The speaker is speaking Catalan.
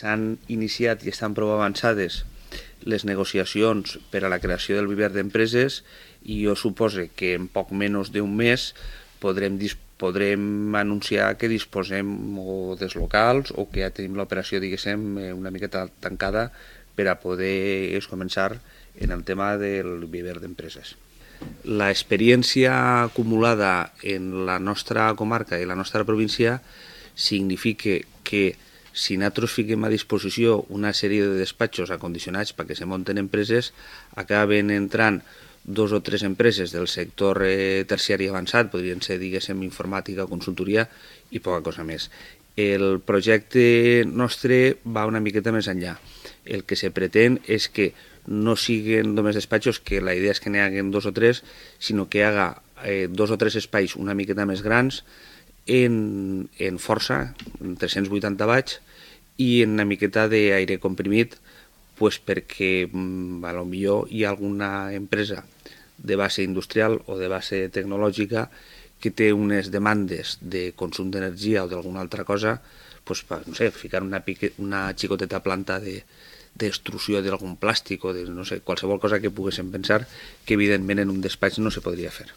S'han iniciat i estan prou avançades les negociacions per a la creació del viver d'empreses i jo suposo que en poc menys d'un mes podrem anunciar que disposem o dels locals o que ja tenim l'operació, diguéssim, una miqueta tancada per a poder començar en el tema del viver d'empreses. L'experiència acumulada en la nostra comarca i la nostra província significa que si nosaltres fiquem a disposició una sèrie de despatxos acondicionats perquè se munten empreses, acaben entrant 2 o 3 empreses del sector terciari avançat, podrien ser, diguéssim, informàtica, consultoria i poca cosa més. El projecte nostre va una miqueta més enllà. El que se pretén és que no siguin només despatxos, que la idea és que n'hi hagin 2 o 3, sinó que hi haga 2 o 3 espais una miqueta més grans, en força, en 380 watts, i en una miqueta d'aire comprimit, pues perquè potser hi ha alguna empresa de base industrial o de base tecnològica que té unes demandes de consum d'energia o d'alguna altra cosa, pues, no sé, ficar una xicoteta planta d'extrusió d'algun plàstic o de, no sé, qualsevol cosa que poguéssim pensar que evidentment en un despatx no se podria fer.